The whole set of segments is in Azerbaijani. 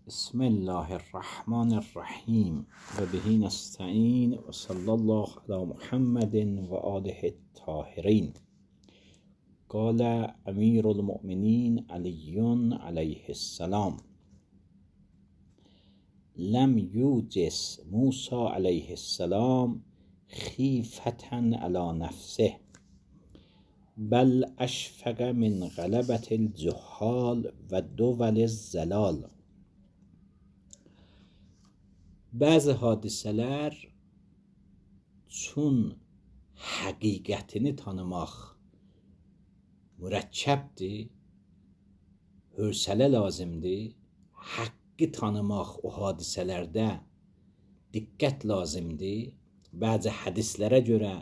بسم الله الرحمن الرحیم و بهی نستعین و صلی الله علی محمد و آله الطاهرین. قال امیر المؤمنین علی علیه السلام: لم یوجس موسی علیه السلام خیفة علی نفسه بل اشفق من غلبة الجهال و دول الزلال. Bəzi hadisələr üçün həqiqətini tanımaq mürəkkəbdir, hövsələ lazımdır. Haqqı tanımaq o hadisələrdə diqqət lazımdır. Bəzi hədislərə görə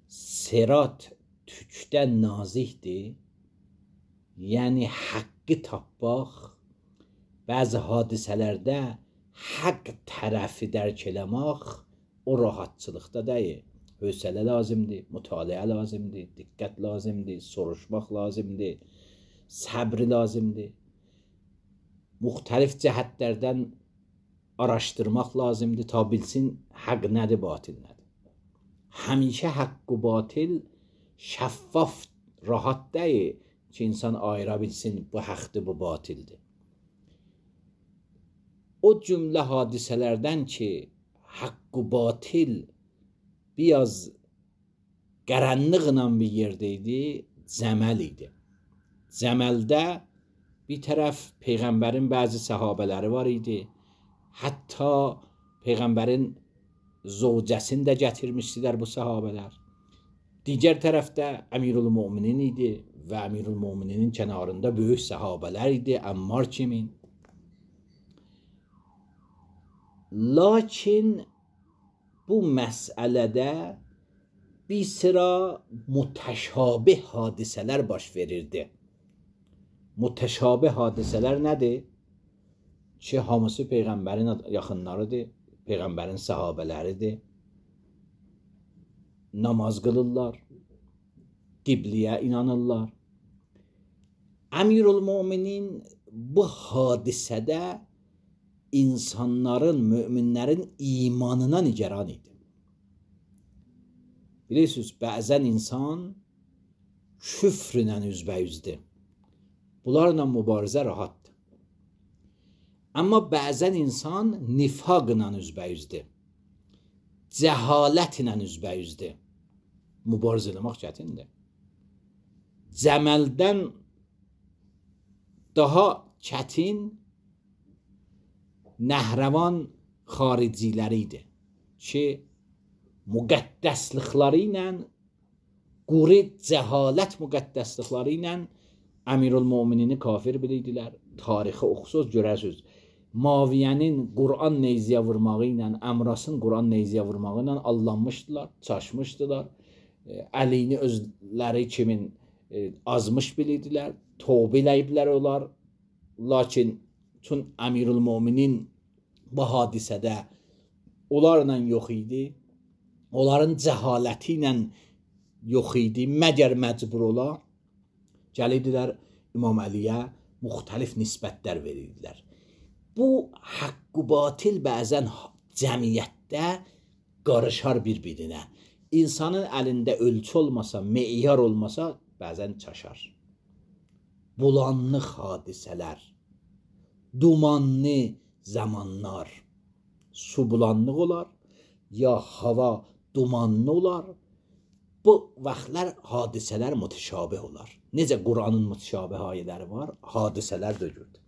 sirat tükdən nazikdir. Yəni haqqı tapmaq bəzi hadisələrdə haqq tərəfi dərk eləmək o rahatçılıqda deyil. Hövsələ lazımdır, mütaliə lazımdır, diqqət lazımdır, soruşmaq lazımdır, səbr lazımdır. Müxtəlif cəhətlərdən araşdırmaq lazımdır ta bilsin haqq nədir, batil nədir. Həmişə haqq və batil şəffaf, rahat deyil ki, insan ayıra bilsin bu haqqdır, bu batildir. O cümlə hadisələrdən ki, haqq və batil biraz qaranlıqla bir yerdə idi, Cəməl idi. Cəməldə bir tərəf Peyğəmbərin bəzi səhabələri var idi. Hətta Peyğəmbərin zövcəsini də gətirmişdilər bu səhabələr. Digər tərəfdə Əmirül-Möminin idi və Əmirül-Möminin kənarında böyük səhabələr idi, Əmmar kimin. Lakin bu məsələdə bir sıra mütəşabih hadisələr baş verirdi. Mütəşabih hadisələr nədir? Ki, hamısı Peyğəmbərin yaxınlarıdır, Peyğəmbərin səhabələridir. Namaz qılırlar, qibliyə inanırlar. Əmirül-Möminin bu hadisədə insanların, möminlərin imanına nigaran idi. Bilirsiniz, bəzən insan küfrlə üzbəyüzdür. Bunlarla mübarizə rahatdır. Amma bəzən insan nifaqla üzbəyüzdür. Cəhalətlə üzbəyüzdür. Mübarizə eləmək çətindir. Cəməldən daha çətin Nəhrəvan xariciləri idi ki, müqəddəslikləri ilə, quri cəhalət müqəddəslikləri ilə Əmirül-Möminini kafir bilirdilər. Tarixi oxusuz görərsiniz. Maviyənin Quran neyziyə vurmağı ilə, Əmrasın Quran neyziyə vurmağı ilə allanmışdılar, çaşmışdılar. Əlini özləri kimin azmış bilirdilər, tövbə eləyiblər onlar. Lakin tüm Əmirül-Möminin bu hadisədə onlarla yox idi. Onların cəhaləti ilə yox idi. Məgər məcbur ola gəlirdilər İmam Əliyə müxtəlif nisbətlər verirdilər. Bu haqq və batil bəzən cəmiyyətdə qarışar bir-birinə. İnsanın əlində ölçü olmasa, meyar olmasa bəzən çaşar. Bulanlıq hadisələr, dumanlı zamanlar, su bulanlıq olar, ya hava dumanlı olar. Bu vaxtlar hadisələr mütəşabih olar. Necə Quranın mütəşabih ayələri var, hadisələr də görür.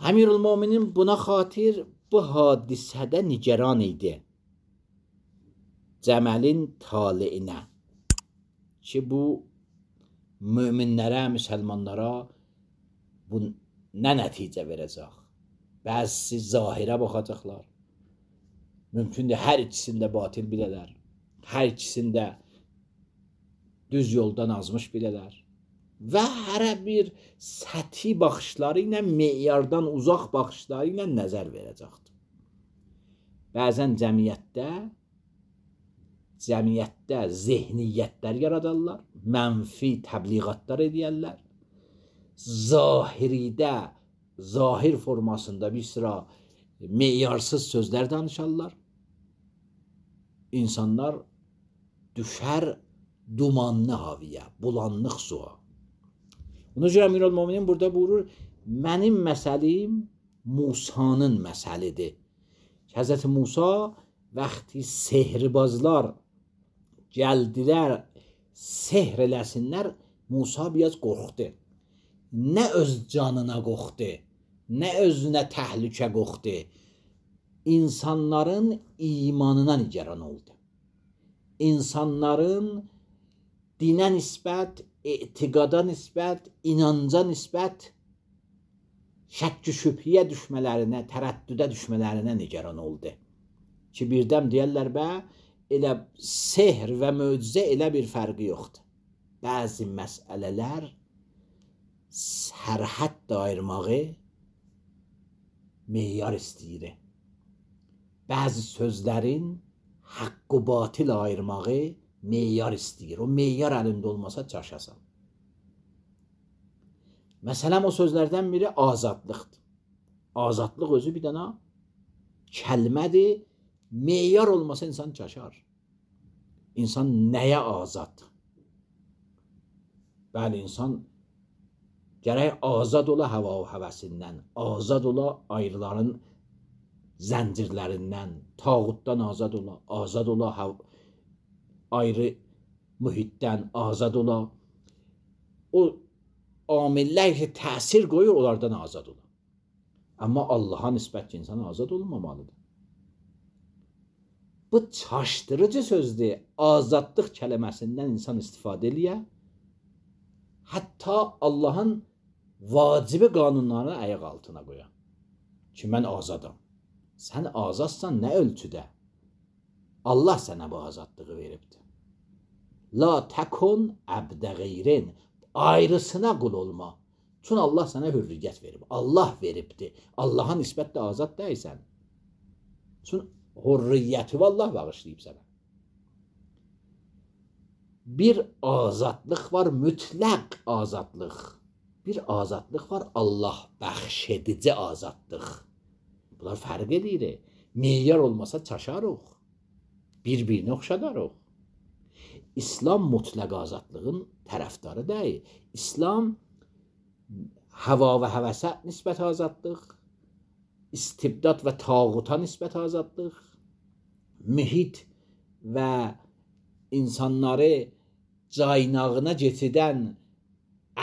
Əmirül-Möminin buna xatir bu hadisədə nigaran idi. Cəməlin taleyinə ki, bu möminlərə, müsəlmanlara bu nə nəticə verəcək? Bəzisi zahirə baxacaqlar. Mümkündür, hər ikisində batil bilələr. Hər ikisində düz yoldan azmış bilələr. Və hərə bir səthi baxışları ilə, meyardan uzaq baxışları ilə nəzər verəcəkdir. Bəzən cəmiyyətdə zehniyyətlər yaradarlar, mənfi təbliğatlar edərlər. Zahiridə zahir formasında bir sıra meyarsız sözler danışarlar. İnsanlar düşər dumanlı havaya, bulanlıq suya. Ona görə Əmirül-Möminin burada buyurur, mənim məsəlim Musanın məsəlidir. Həzrəti Musa vaxtı sehrbazlar gəldilər, sehr eləsinlər, Musa biraz qorxdu. Nə öz canına qorxdu, nə özünə təhlükə qorxdu. İnsanların imanına nigaran oldu. İnsanların dinə nisbət, etiqada nisbət, inanca nisbət şəkk-i şübhəyə düşmələrinə, tərəddüdə düşmələrinə nigaran oldu. Ki birdən deyərlər bə, elə sehr və möcüzə elə bir fərqi yoxdur. Bəzi məsələlər sərhəd ayırmağı meyar istəyir. Bəzi sözlərin haqq və batil ayırmağı meyar istəyir. O meyar əlində olmasa çaşasan. Məsələn, o sözlərdən biri azadlıqdır. Azadlıq özü bir dənə kəlmədir. Meyar olmasa insan çaşar. İnsan nəyə azad? Bəli, insan gərək azad ola hava və həvəsindən, azad ola ayrıların zəncirlərindən, tağutdan azad ola ayrı mühitdən, azad ola. O amillər ki, təsir qoyur, onlardan azad ola. Amma Allaha nisbət ki, insan azad olmamalıdır. Bu çaşdırıcı sözdür. Azadlıq kəlməsindən insan istifadə eləyə. Hətta Allahın vacibi qanunlarını ayaq altına qoya. Ki, mən azadam. Sən azadsan nə ölçüdə? Allah sənə bu azadlığı veribdir. La təkun əbdə qeyrin. Ayrısına qul olma. Çünki Allah sənə hürriyyət verib. Allah veribdir. Allaha nisbətlə azad deyilsən. Çünki hürriyyəti Allah bağışlayıb sənə. Bir azadlıq var, mütləq azadlıq. Bir azadlıq var, Allah bəxşedici azadlıq. Bunlar fərq edir. Meyar olmasa çaşarıq. Bir-birinə oxşadarıq. İslam mütləq azadlığın tərəfdarı deyil. İslam hava və həvəsə nisbət azadlıq, istibdad və tağuta nisbət azadlıq, mühit və insanları caynağına getidən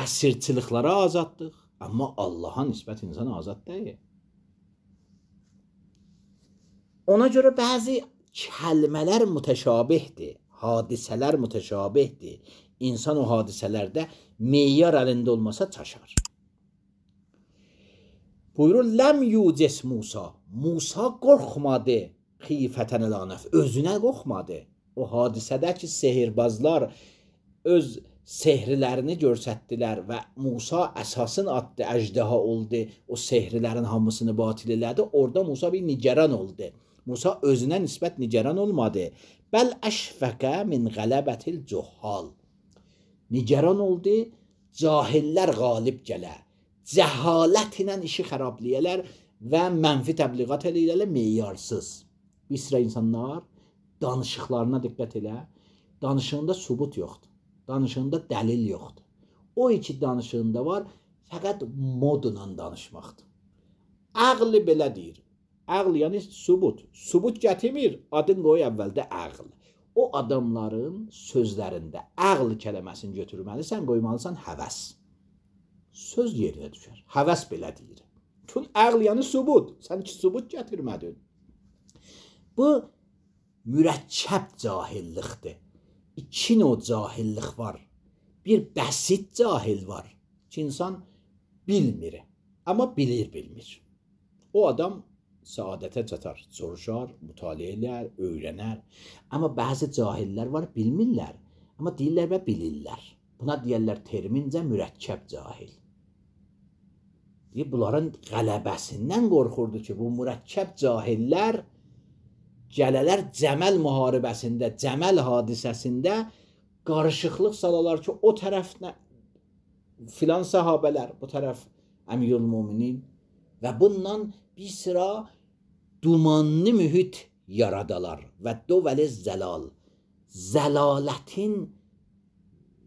əsirçiliklara azadlıq. Amma Allaha nisbət insan azad deyil. Ona görə bəzi kəlmələr mütəşabihdir, hadisələr mütəşabihdir. İnsan o hadisələrdə meyar əlində olmasa çaşar. Buyurur, ləm yucis Musa. Musa qorxmadı xifətən əlanəf. Özünə qorxmadı. O hadisədəki sehirbazlar öz sehrilərini görsətdilər və Musa əsasın atdı, əjdaha oldu. O sehrilərin hamısını batil elədi. Orada Musa bir nigaran oldu. Musa özünə nisbət nigaran olmadı. Bəl əşfəqə min qələbətil cuhal. Nigaran oldu, cahillər qalib gələ. Cəhalət ilə işi xərabliyələr və mənfi təbliğat eləyirlər meyarsız. Bir sıra insanlar danışıqlarına diqqət elə. Danışığında sübut yoxdur. Danışığında dəlil yoxdur. O iki danışığında var, fəqət modla danışmaqdır. Ağlı belə deyir. Ağl yəni sübut. Sübut gətirmir, adın qoy əvvəldə ağl. O adamların sözlərində ağl kəlməsini götürməlisən, qoymalısan həvəs. Söz yerinə düşər. Həvəs belə deyir. Çünki ağl yəni sübut. Sən ki sübut gətirmədin. Bu mürəkkəb cahillikdir. İki növ cahillik var. Bir bəsit cahil var ki, insan bilmir, amma bilmir. O adam səadətə çatar, soruşar, mütaliə edər, öyrənər. Amma bəzi cahillər var, bilmirlər, amma deyirlər və bilirlər. Buna deyirlər termincə mürəkkəb cahil. Bunların qələbəsindən qorxurdu ki, bu mürəkkəb cahillər gələlər Cəməl müharibəsində, Cəməl hadisəsində qarışıqlıq salalar ki, o tərəfdə filan sahabələr, bu tərəf Əmirül-Möminin və bundan bir sıra dumanlı mühit yaradalar və dövəli zəlal, zəlalətin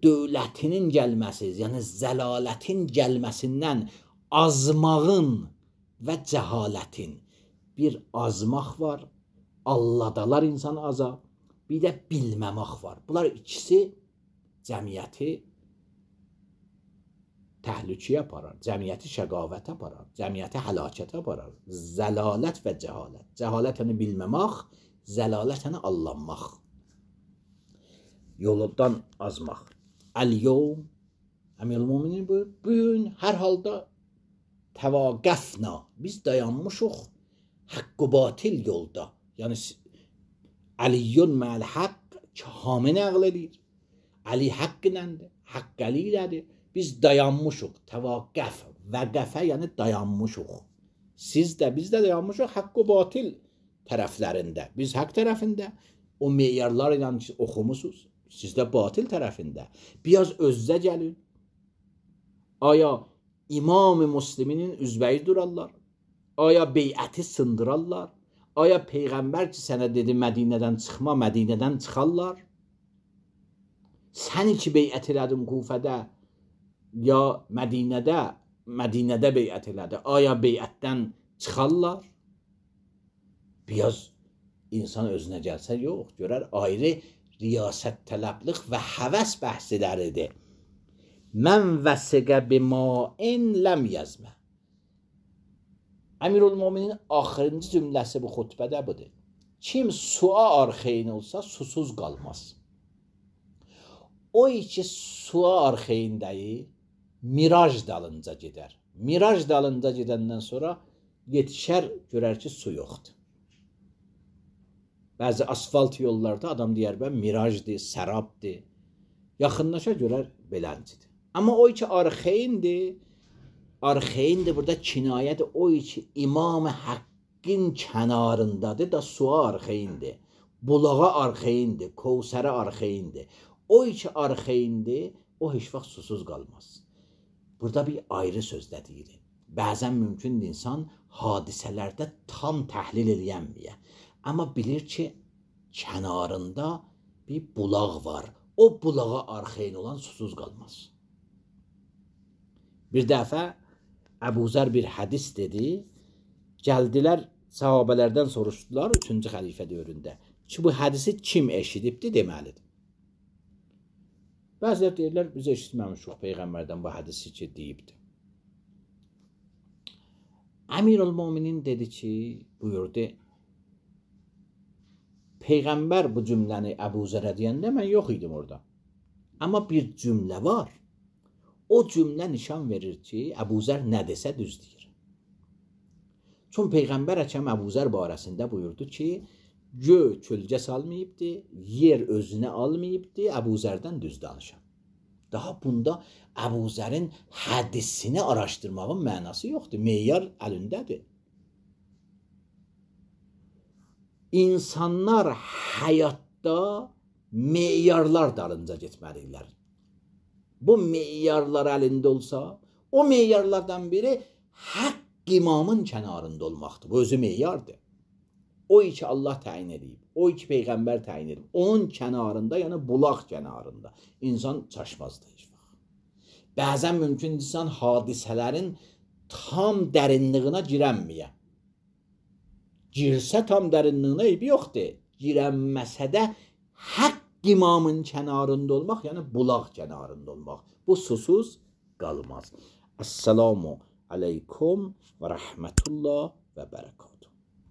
dövlətinin gəlməsi, yəni zəlalətin gəlməsindən azmağın və cəhalətin bir azmaq var, alladalar insan aza, bir də bilməmək var. Bunlar ikisi cəmiyyəti təhlükəyə aparar, cəmiyyəti şəqavətə aparar, cəmiyyəti həlakətə aparar. Zəlalət və cəhalət. Cəhalət yəni bilməmək, zəlalət yəni allanmaq. Yoldan azmaq. Əl-yevm, Əmir-ül-Möminin buyur, bu gün hər halda təvaqəfna, biz dayanmışıq haqq və batil yolda. Yəni Əliyyun məl haqq kamil nəql edir. Əli haqq iləndir, haqq Əli ilədir. Biz dayanmışıq, təvaqəf, vəqəfə yəni dayanmışıq. Siz də, biz də dayanmışıq haqq və batil tərəflərində. Biz haqq tərəfində, o meyarlar ilə oxumusunuz, siz də batil tərəfində. Biraz özünüzə gəlin. Aya İmam-ı Müsliminin üzbəyi durarlar? Aya beyəti sındırarlar? Aya Peyğəmbər ki sənə dedi Mədinədən çıxma, Mədinədən çıxarlar? Sən ki beyət elədin Kufədə, ya Mədinədə beyət elədi. Aya beyətdən çıxarlar? Biraz insan özünə gəlsə, yox, görər ayrı riyasət tələbliq və həvəs bəhsləridir. Mən vəsiqə bimain ləm yazmə. Əmir-ül-Möminin axırıncı cümləsi bu xutbədə budur. Kim suya arxeyin olsa susuz qalmaz. O ki suya arxeyindəyi miraj dalınca gedər. Miraj dalınca gedəndən sonra yetişər, görər ki su yoxdur. Bəzi asfalt yollarda adam deyər bə mirajdır, sərabdır. Yaxınlaşa görər beləncidir. Amma o ki arxeyindir, arxeyindir burada kinayədir. O ki İmam-ı Haqqın kənarındadır da suya arxeyindir. Bulağa arxeyindir, Kevsərə arxeyindir. O ki arxeyindir, o heç vaxt susuz qalmaz. Burada bir ayrı sözdə deyir. Bəzən mümkündür insan hadisələrdə tam təhlil eləyənməyə. Amma bilir ki, kənarında bir bulaq var. O bulağa arxeyin olan susuz qalmaz. Bir dəfə Əbu Zər bir hədis dedi. Gəldilər, sahabələrdən soruşdular 3-cü xəlifə dövründə ki, bu hədisi kim eşidibdi deməlidir. Bəzilər deyirlər, biz eşitməmişik Peyğəmbərdən bu hədisi ki, deyibdi. Əmir-ül-Möminin dedi ki, buyurdu, Peyğəmbər bu cümləni Əbu Zərə deyəndə mən yox idim orada. Amma bir cümlə var. O cümlə nişan verir ki, Əbu Zər nə desə düz deyir. Çünki Peyğəmbər Əkəm Əbu Zər barəsində buyurdu ki, göy kölgə salmayıbdı, yer özünə almayıbdı, Əbu Zərdən düz danışan. Daha bunda Əbu Zərin hədisini araşdırmağın mənası yoxdur. Meyar əlindədir. İnsanlar həyatda meyarlar dalınca getməlidirlər. Bu meyarlar əlində olsa, o meyarlardan biri haqq imamın kənarında olmaqdır. Bu özü meyardır. O ki Allah təyin edib, o ki Peyğəmbər təyin edib, onun kənarında, yəni bulaq kənarında insan çaşmazdır heç vaxt. Bəzən mümkün insan hadisələrin tam dərinliyinə girənməyə. Girsə tam dərinliyinə eybi yoxdur. Girənməsə də haqq imamın kənarında olmaq, yəni bulaq kənarında olmaq. Bu susuz qalmaz. Əssalamu aleykum və rəhmətullah və bərəkət.